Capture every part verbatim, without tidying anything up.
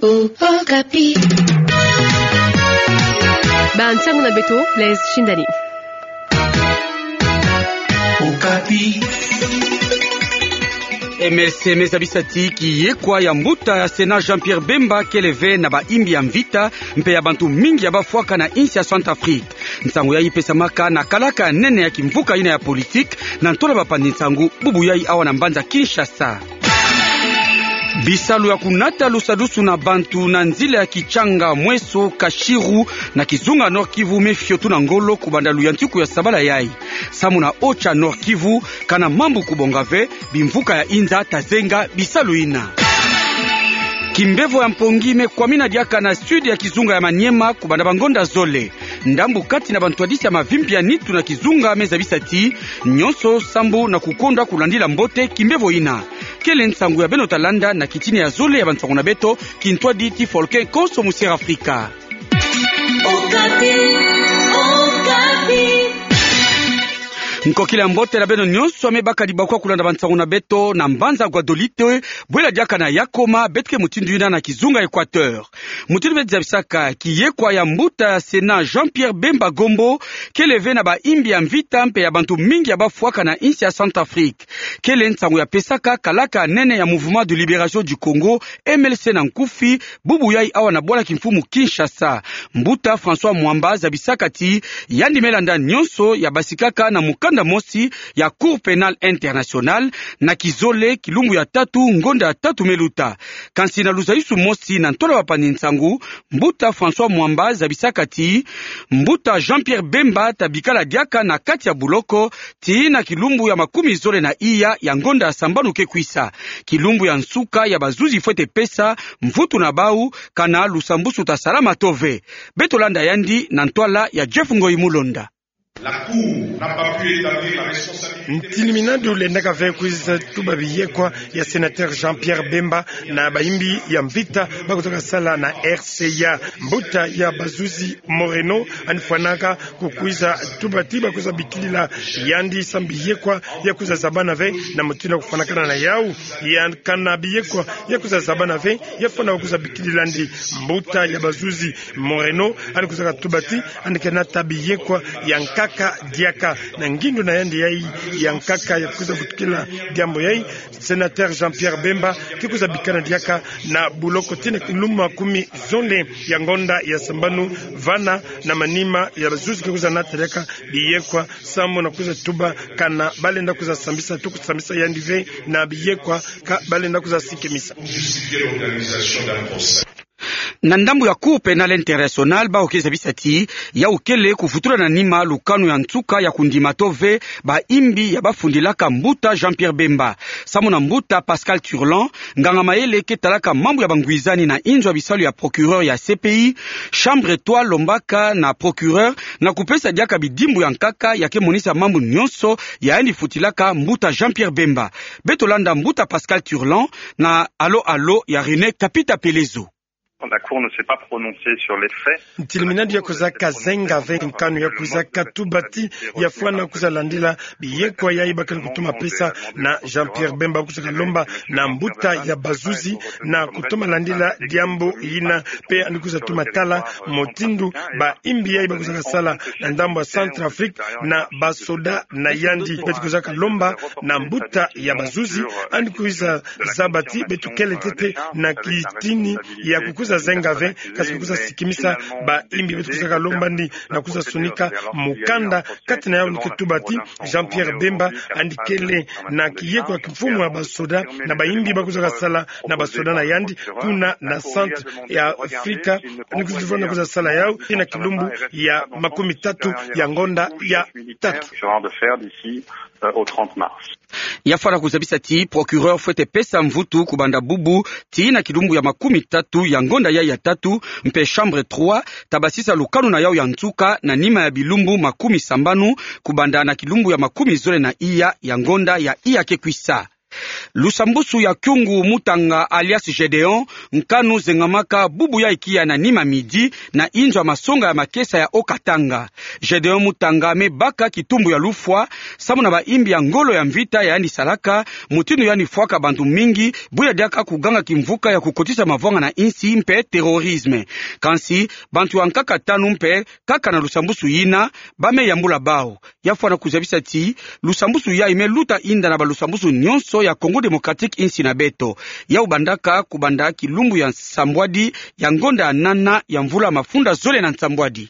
Okapi. Ba nsangu na beto, Blaise Shindani. Okapi. M L C me zabisa ti kiyekwa ya mbuta ya Sénat Jean-Pierre Bemba kele ve na ba imbi ya mvita, mpe ya bantu mingi ya bafwaka na insi ya Centrafrique. Nsangu yayi pesamaka na kalaka ya nene ya kimvuka yina ya politique, na ntola bapandi nsangu bubu yayi awa na mbanza Kinshasa. Bisalu ya kunata lusadusu na bantu na nzila ya Kitshanga, Mweso, Kashiru, na kizunga Nord-Kivu me fioti na ngolo kubanda luyantiku ya sabala yayi. Samu na Ocha Nord-Kivu, kana mambu kubonga ve, bimvuka ya inza ta zenga bisalu yina. Kimbevo ya mpongi me kwamina diaka na sud ya kizunga ya Maniema kubanda bangonda zole. Ndambu kati na bantwadisi ya mavimpi ya nitu na kizunga me zabisa ti nyonso sambu na kukonda kulandila mbote kimbevo yina. Kele nsangu ya beno ta landa na kitini ya zole ya bansangu na beto, kintwadi ti folke konso mu Sierra Afrika. Okapi, Okapi. Nkokila ya mbote na beno nyonso ya me baka dibakwa kulanda bansangu na beto na mbanza Guadolite, bwela diaka na Yakoma, beto ke mutindu yina na kizunga Équateur. Mutindu beto zabisaka, kiyekwa ya mbuta ya Sénat Jean-Pierre Bemba Gombo kele ve na ba imbi ya mvita mpe ya bantu mingi ya bafwaka na insi ya Centrafrique. Kele nsangu ya pesaka kalaka nene ya Mouvement de Libération du Congo, M L C na nkufi, bubu yayi awa na bwala kimfumu Kinshasa. Mbuta François Mwamba zabisaka ti yandi me landa nyonso ya basikaka na mukanda mosi ya Cour pénale internationale na kizole kilumbu ya tatu ngonda ya tatu me luta. Kansi na luzayisu mosi na ntola bapandi nsangu, mbuta François Mwamba zabisaka ti mbuta Jean-Pierre Bemba ta bikala diaka na kati ya buloko tii na kilumbu ya makumi zole na iya ya ngonda ya sambanu ke kwisa. Kilumbu ya nsuka ya bazuzi fwete pesa mvutu na bau kana lusambusu ta salama to ve. Beto landa yandi na ntwala ya Jeff Ngoyi Mulonda. La Cour n'a pas pu établir la responsabilité. Ntini minadu lendaka ve kwiza tuba biyekwa ya sénateur Jean-Pierre Bemba na bayimbi ya mvita ba kuzaka sala na R C A. Mbuta ya bazuzi Moreno yandi fwanaka kukwiza tuba ti ba kwiza bikilila yandi samu biyekwa ya kwiza zabana ve na mutindu ya kufwanakana na yau. Ya kana biyekwa ya kwiza zabana ve, ya fwana kwiza bikilila yandi. Mbuta ya bazuzi Moreno yandi kwizaka tuba ti yandi ke nata biyekwa ya nkaka diaka. Na ngindu na yandi yayi ya nkaka ya kwiza vutukila diambu yayi, sénateur Jean-Pierre Bemba ke kwiza bikana diaka na buloko tii na kilumbu makumi zole ya ngonda ya sambanu, vana na manima ya bazuzi ke kwiza nata diaka biyekwa samu na kwiza tuba kana balenda kwiza sambisa to kusambisa yandi ve na biyekwa ka balenda kwiza sikimisa. Na ndambu ya Cour pénale internationale, bau ke zabisa ti yau kele kuvutula na nima lukanu ya nsuka ya kundima to ve bayimbi ya bafundilaka mbuta Jean-Pierre Bemba. Samu na mbuta Pascal Turlan, nganga mayele ke talaka mambu ya bangwizani na inzo ya bisalu ya procureur ya C P I, chambre trois lombaka na procureur na kupesa diaka bidimbu ya nkaka ya ke monisa mambu nyonso ya yandi futilaka mbuta Jean-Pierre Bemba. Beto landa mbuta Pascal Turlan na Allô Allô ya René Kapita Pelezo. La Cour ne s'est pas prononcée sur les faits. Ntini minadu ya kwizaka zenga ve nkanu ya kwizaka tuba ti ya fwana kwiza landila biyekwa yayi ba kele kutuma pesa na Jean-Pierre Bemba, kwizaka lomba na mbuta ya bazuzi na kutuma landila diambu yina, mpe yandi kwiza tuma tala mutindu bayimbi yayi ba kwizaka sala na ndambu ya Centrafrique na basoda na yandi. Beto kwizaka lomba na mbuta ya bazuzi, yandi kwiza zaba ti beto kele ntete na kitini ya kukwiza zenga ve, kasi kukwiza sikimisa bayimbi. Beto kwizaka lomba yandi na kwiza sonika mukanda kati na yau ni ke tuba ti Jean-Pierre Bemba yandi kele na kiyekwa kimfumu ya basoda na bayimbi ba kwizaka sala na basoda na yandi kuna na Centrafrique. Yandi kwiza fwana kwiza sala yau tii na kilumbu ya makumi tatu ya ngonda ya tatu. Genre de faire d'ici, euh, au trente mars. Ya fwana kuzabisa ti procureur fwete pesa mvutu kubanda bubu tii na kilumbu ya makumi tatu ya ngonda yayi ya tatu, mpe chambre trois ta basisa lukanu na yau ya nsuka na nima ya bilumbu makumi sambanu, kubanda na kilumbu ya makumi zole na iya ya ngonda ya iya ke kwisa. Lusambusu ya Kyungu Mutanga alias Gédéon, nkanu zengamaka bubu ya ikiya na nima midi, na inzo ya masonga ya makesa ya Haut-Katanga. Gédéon Mutanga me baka kitumbu ya lufwa, samu na baimbi ya ngolo ya mvita yandi salaka, mutindu yandi fwaka bantu mingi, bwila diaka kuganga kimvuka ya kukotisa mavwanga na insi mpe terrorisme. Kansi, bantu ya nkaka tanu mpe, kaka na lusambusu yina, ba me yambula bau. Ya fwana kuzabisa ti, lusambusu yayi me luta inda na balusambusu nyonso ya Congo Démocratique insi na beto. Yau bandaka kubanda kilumbu ya nsambwadi ya ngonda ya nana ya mvula mafunda zole na nsambwadi.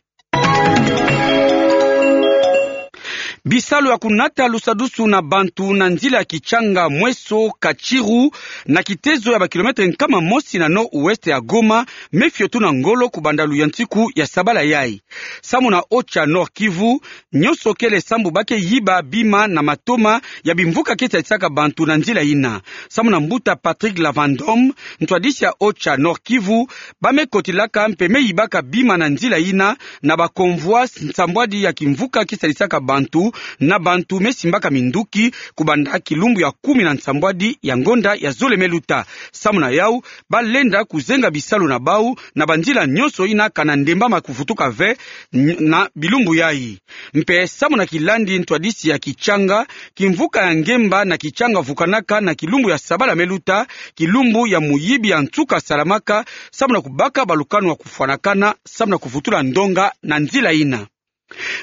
Bisalu ya kunata lusadusu na bantu na nzila ya Kitshanga, Mweso, Katshiru, na kitezo ya ba kilomètre nkama mosi na nord-ouest ya Goma, me fiotuna ngolo kubanda luyantiku ya sabala yayi. Samu na OCHA Nord-Kivu, nyonso kele sambu ba ke yiba bima na matoma ya bimvuka ke salisaka bantu na nzila yina. Samu na mbuta Patrick Lavandom, ntwadisi ya OCHA Nord-Kivu, ba me kotilaka mpe me yibaka bima na nzila yina na ba convois nsambwadi ya kimvuka ke salisaka bantu, na bantu me simbaka minduki, kubanda kilumbu ya kumi na nsambwadi ya ngonda ya zole me luta. Samu na yau, ba lenda kuzenga bisalu na bau na banzila nyonso yina kana ndembama kuvutuka ve n-, na bilumbu yayi. Mpe samu na kilandi ntwadisi ya Kitshanga, kimvuka ya ngemba na Kitshanga vukanaka na kilumbu ya sabala me luta, kilumbu ya muyibi ya nsuka salamaka, samu na kubaka balukanu ya kufwanakana, samu na kuvutula ndonga na nzila yina.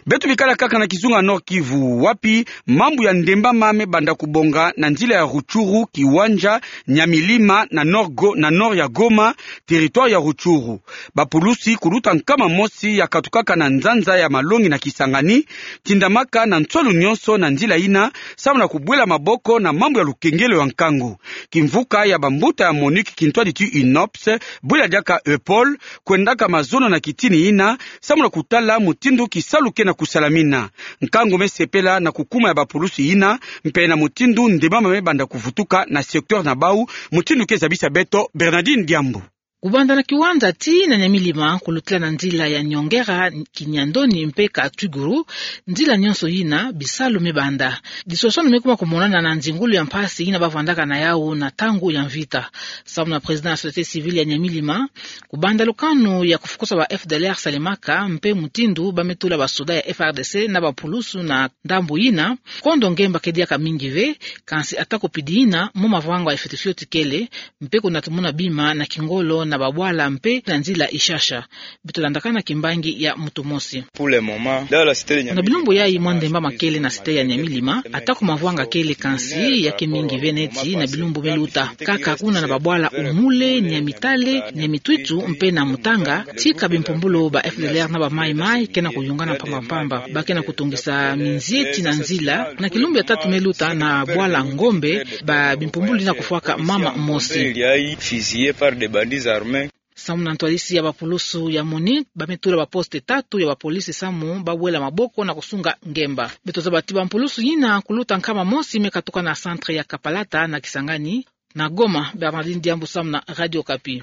Beto bikala kaka na kizunga Nord-Kivu, wapi mambu ya ndembama me banda kubonga na nzila ya Rutshuru, Kiwanja, Nyamilima, na Nord Go-, na nord ya Goma, territoire ya Rutshuru. Bapulusi kuluta nkama mosi ya katukaka na nzanza ya malongi na Kisangani, tindamaka na nswalu nyonso na nzila yina, samu na kubwela maboko na mambu ya lukengelo ya nkangu. Kimvuka ya bambuta ya MONUC kintwadi ti UNOPS, bwela diaka EUPOL, kwendaka mazono na kitini yina, samu na kutala mutindu kisalu ke na kusalamina. Nkangu me sepela na kukuma ya bapulusi yina, mpe na mutindu ndembama me banda kuvutuka na secteur na bau, mutindu ke zabisa beto Bernardine Diambu. Kubanda na Kiwanja tii na Nyamilima, kulutila na nzila ya Nyongera, Kinyandoni mpe Katwiguru, nzila nyonso yina, bisalu me banda. Disoswanu me kuma kumonana na nzingulu ya mpasi yina ba vandaka na yau na ntangu ya mvita. Samu na président ya société civile ya Nyamilima, kubanda lukanu ya kufukusa ba F D L R salemaka, mpe mutindu ba me tula basoda ya F R D C na bapulusu na ndambu yina, kondo ngemba ke diaka mingi ve, kansi ata kupidi yina, mo mavanga ya fioti fioti kele, mpe kuna tumona bima na kingolo na babwala mpe na nzila ishasha. Beto landakana kimbangi ya mutu mosi. Pour le moment, dans la cité de Nyamilima, na bilumbu yayi mwa ndembama kele na cité ya Nyamilima, atako mavwanga kele kansi ya ke mingi ve neti na bilumbu me luta. Kaka kuna na babwala Umule, Nyamitale, Nyamitwitu, mpe na Mutanga, tika bimpumbulu ba F D L R na ba Mai Mai ke na kuyungana mpamba mpamba. Ba ke na kutungisa minzieti na nzila, na kilumbu ya tatu me luta na bwala Ngombe, ba bimpumbulu dina kufwaka mama mosi. Fusillé par des bandits armés. Samu na ntwadisi ya bapulusu ya MONUC, ba me tula ba poste tatu ya bapolisi samu ba wela maboko na kusunga ngemba. Beto zaba ti bampulusu yina kuluta nkama mosi me katuka na centre ya Kapalata na Kisangani, na Goma, Bernardine Diambu samu na Radio Okapi.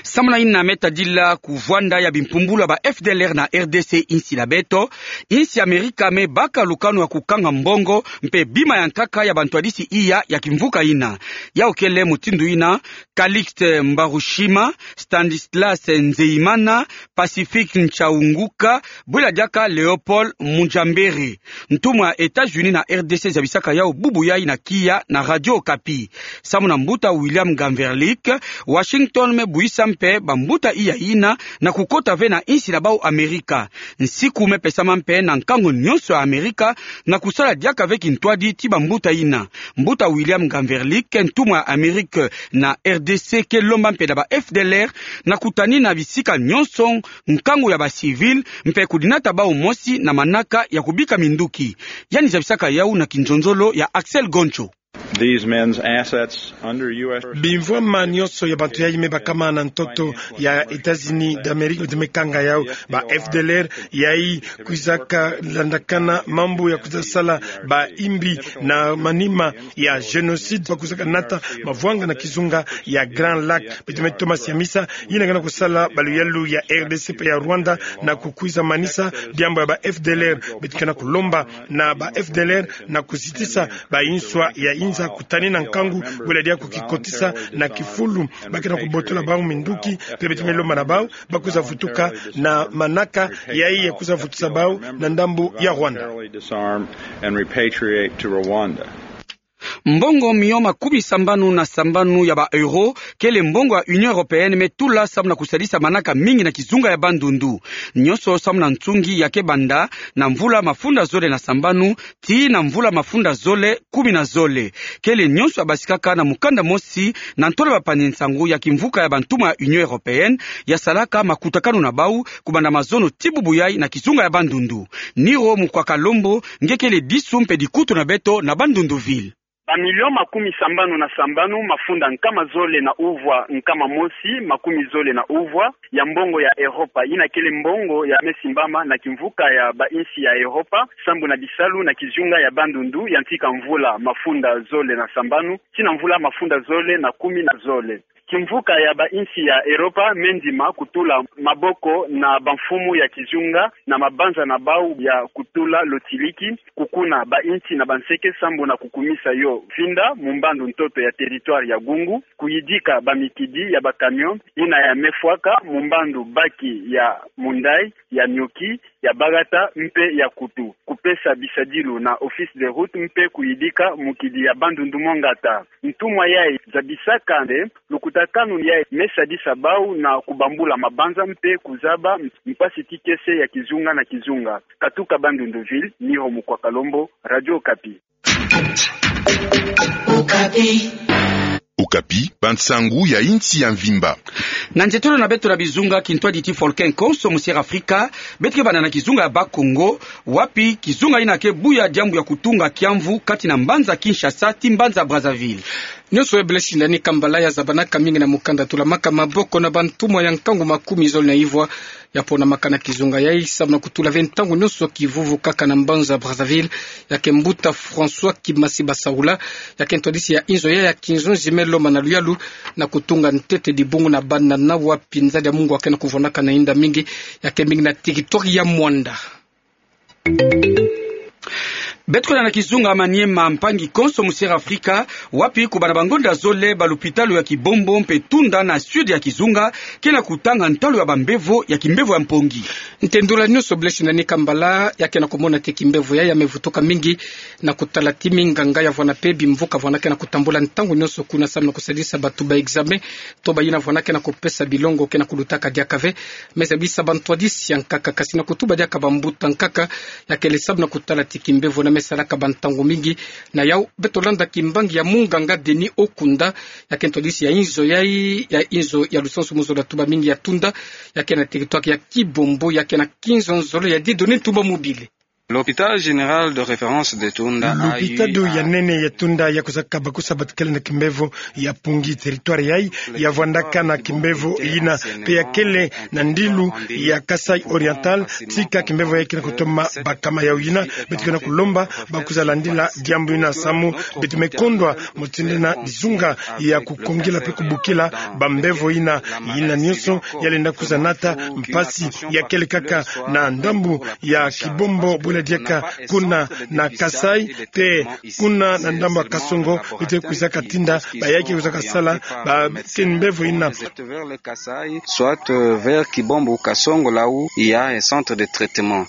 Samu na yina me tadila kuvwanda ya bimpumbulu ya ba F D L R na R D C insi na beto, insi Amerika me baka lukanu ya kukanga mbongo mpe bima ya nkaka ya bantwadisi iya ya kimvuka yina. Yau kele mutindu yina, Calixte Mbarushima, Stanislas Nzeyimana, Pacifique Nchaunguka, bwela diaka Léopold Mujambere. Ntumwa ya États-Unis na R D C zabisaka yau bubu yayi na kiya na Radio Okapi. Samu na mbuta William Gamverlik, Washington me buisa mpe bambuta iya yina na kukota ve na insi na bau Amerika. Nsiku me pesama mpe na nkangu nyonso ya Amerika na kusala diaka ve kintwadi ti bambuta yina. Mbuta William Gamverlik, ntumwa ya Amerika na R D C, ke lomba mpe na ba F D L R na kutanina bisika nyonso nkangu ya ba civil, mpe kudinata bau mosi na manaka ya kubika minduki. Yandi zabisaka yau na kinzonzolo ya Axel Goncho. These men's assets under U S. Bimvwama nyonso ya bantu yayi me bakama na ntoto ya États-Unis d'Amérique, beto me kanga yau, ba F D L R yayi kwizaka landakana mambu ya kwiza sala baimbi na manima ya génocide, ba kwizaka nata mavwanga na kizunga ya Grand Lac. Beto me toma siamisa, yina ke na kusala baluyalu ya R D C mpe ya Rwanda na kukwiza manisa diambu ya ba F D L R. Beto ke na kulomba na ba F D L R na kuzitisa ba inswa ya Sa kutani na nkangu, bwela diaku kikotisa na kifulu, ba ke na kubotola bau minduki, mpe beto me lomba na bau, ba kwiza vutuka na manaka, yayi ya kwiza vutusa bau na ndambu ya Rwanda. Mbongo mio makumi sambanu na sambanu ya ba euro, kele mbongo ya Union Européenne me tula samu na kusalisa manaka mingi na kizunga ya bandundu. Nionso samu na nsungi ya ke banda na mvula mafunda zole na sambanu, tii na mvula mafunda zole kumi na zole. Kele nionso ya basikaka na mukanda mosi na ntwala bapanzi nsangu ya kimvuka ya bantumwa ya Union Européenne, ya salaka makutakanu na bau, kubanda mazono tii bubu yayi na kizunga ya bandundu. Niro Mukwa Kalombo, nge kele disu mpe dikutu na beto na Bandundu ville. Ba million makumi sambanu na sambanu, mafunda nkama zole na uvwa nkama mosi, makumi zole na uvwa, ya mbongo ya Europa, yina kele mbongo ya me simbama na kimvuka ya ba insi ya Europa, sambu na bisalu na kizunga ya bandundu, ya ntika mvula mafunda zole na sambanu, tii na mvula mafunda zole na kumi na zole. Kimvuka ya ba insi ya Europa me ndima kutula maboko na bamfumu ya kizunga na mabanza na bau ya kutula lotiliki, kukuna ba insi na banseke sambu na kukumisa yo mfinda mu mbandu ntoto ya territoire ya Gungu, kuyidika ba mikidi ya ba camion, yina ya me fwaka mu mbandu baki ya Mundai, ya Nioki, ya Bagata mpe ya Kutu, kupesa bisadilu na Office des routes mpe kuyidika mukidi ya Bandundu Mongata. Ntumwa yayi zabisaka nde lukutakanu yayi me sadisa bau na kubambula mabanza mpe kuzaba mpasi tikese ya kizunga na kizunga. Katuka Bandundu ville, Niro Mukwa Kalombo, Radio Okapi. Okapi, bansangu ya insi ya mvimba. Na nzietolo na beto na bizunga, kintwadi ti Volcan Konso mu Sierra Afrika, beto ke banda na kizunga ya Bas-Congo, wapi kizunga yina ke buya diambu ya kutunga kiamvu kati na mbanza Kinshasa tii mbanza Brazzaville. Nionso ya Blaise Shindani Kambala ya zabanaka mingi na mukanda tulamaka maboko na bantumwa ya nkangu makumi zole na ivwa, ya ponamaka na kizunga yayi, samu na kutula ve ntangu nionso kivuvu kaka na mbanza Brazzaville, ya ke mbuta François Kimasi Basaula, ya ke ntwadisi ya inzo yayi ya kinzonzi me lomba na luyalu na kutunga ntete, dibungu na banana, wapi nzadi ya mungu ya ke na kuvwandaka na inda mingi, ya ke mingi na territoire ya Muanda. Beto kwenda na kizunga Maniema, mpangi konso mu Sierra Afrika, wapi kubanda bangonda zole balupitalu ya Kibombo mpe Tunda na sud ya kizunga ke na kutanga ntalu ya bambevo ya kimbevo ya mpongi. Ntendula nionso Blaise Shindani Kambala, ya ke na kumona te kimbevo yayi ya me vutuka mingi na kutala ti minganga ya vwanda mpe bimvuka vwanda ke na kutambula ntangu nionso kuna samu na kusadisa bato ba examen, to bayina vwanda ke na kupesa bilongo ke na kulutaka diaka ve. Me zabisa bantwadisi ya nkaka, kasi na kutuba diaka bambuta nkaka, ya kele samu na kutala ti kimbevo na me salaka bantangu mingi. Na yau, beto landa kimbangi ya munganga Denis Okunda, ya ke ntwadisi ya inzo yayi, ya inzo ya lusansu mu zola tuba mingi ya Tunda, ya ke na territoire ya Kibombo, ya ke na kinzonzolo ya Dieudonné Ntumba Mobile. L'hôpital général de référence de Tunda a eu... Lupitalu ya nene ya Tunda ya kwizaka bakusa batikele na kimbevo ya mpongi. Territoire yayi ya vwandaka na kimbevo yina, mpe ya kele na ndilu ya Kasaï Oriental, tika kimbevo yayi ke na kutoma bakama. Yau yina, beto ke na kulomba ba kwiza landila diambu yina samu beto me kondwa mu tindina dizunga ya kukongila mpe kubukila bambevo yina. Yina nionso ya lenda kwiza nata mpasi ya kele kaka na ndambu ya Kibombo, bwela diaka kuna na Kasaï, mpe kuna na ndambu ya Kasongo, beto ke kwizaka tinda ba ya ke kwizaka sala ba kimbevo yina. Soit, euh, vers Kibombo ou Kasongo, là où il y a un centre de traitement.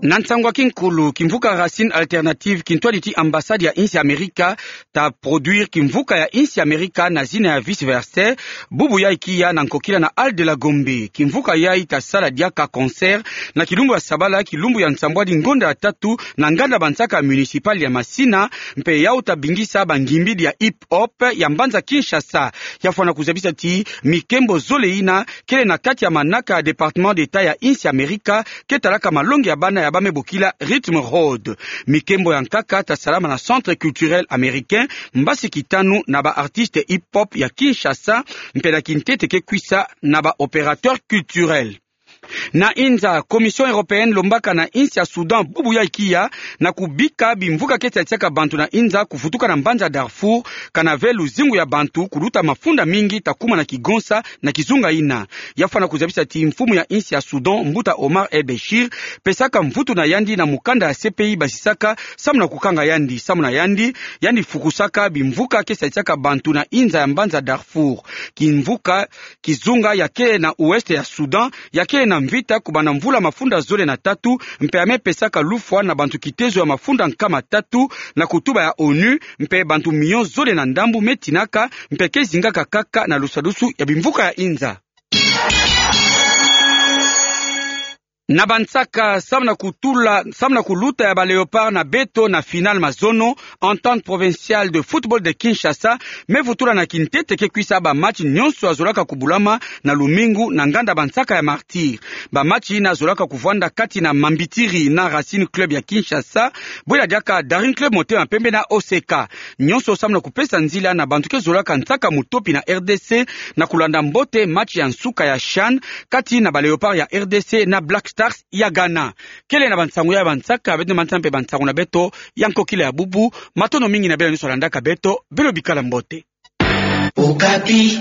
Na nsangu ya kinkulu, kimvuka Racine Alternative, kintwadi ti ambassade ya insi ya Amerika, ta produire kimvuka ya insi ya Amerika na zina ya Vice Versa, bubu yayi kia na nkokila na Hall de la Gombe. Kimvuka yayi ta sala diaka concert na kilumbu ya sabala, kilumbu ya nsambwadi ngonda ya tatu, na nganda bansaka municipal ya Masina, mpe yau ta bingisa bangimbidi ya hip-hop ya mbanza Kinshasa. Ya fwana kuzabisa ti mikembo zole yina kele na kati ya manaka ya Département d'État ya insi ya Amerika, ke talaka malongi ya bana ya ba me bokila Rhythm Road. Mikembo ya nkaka ta salama na Centre Culturel Américain, mbasi kitanu na ba artistes hip-hop ya Kinshasa, mpe na kintete ke kwisa na ba opérateurs culturels. Na inza, Commission européenne lombaka na insi ya Soudan bubu ya ikiya na kubika bimvuka keti ya tiaka bantu na inza kuvutuka na mbanza Darfour, kana ve luzingu ya bantu kuluta mafunda mingi ta kuma na kigonsa na kizunga ina. Ya fwana kuzabisa ti mfumu ya insi ya Soudan, mbuta Omar El-Béchir, pesaka mvutu na yandi na mukanda ya C P I basisaka samu na kukanga yandi. Samu na yandi, yandi fukusaka bimvuka keti ya tiaka bantu na inza ya mbanza Darfour. Kimvuka, kizunga ya kele na ouest ya Soudan, ya kele na mvita kubanda mvula mafunda zole na tatu, mpe ya me pesaka lufwa na bantu kitezo ya mafunda nkama tatu na kutuba ya onu, mpe bantu million zole na ndambu me tinaka, mpe ke zingaka kaka na lusadusu ya bimvuka ya inza. Na bansaka, samu na kutula, samu na kuluta ya ba Léopards na beto na finale mazono, Entente Provinciale de Football de Kinshasa me vutula na kintete ke kwisa ba match nyonso ya zolaka kubulama na lumingu na nganda bansaka ya Martyrs. Ba match ina zolaka kuvwanda kati na Mambitiri na Racing Club ya Kinshasa, bwela diaka Daring Club Motema Pembe na O C K. Nyonso samu na kupesa nzila na bantu ke zolaka nsaka mutopi na R D C na kulanda mbote match ya nsuka ya CHAN kati na ba Léopards ya R D C na Black Stars ya Ghana. Kele na bansangu ya bansaka, beto nde manisa mpe bansangu na beto ya nkokila ya bubu. Matondo mingi na beno nyonso landaka beto, beno bikala mbote. Okapi.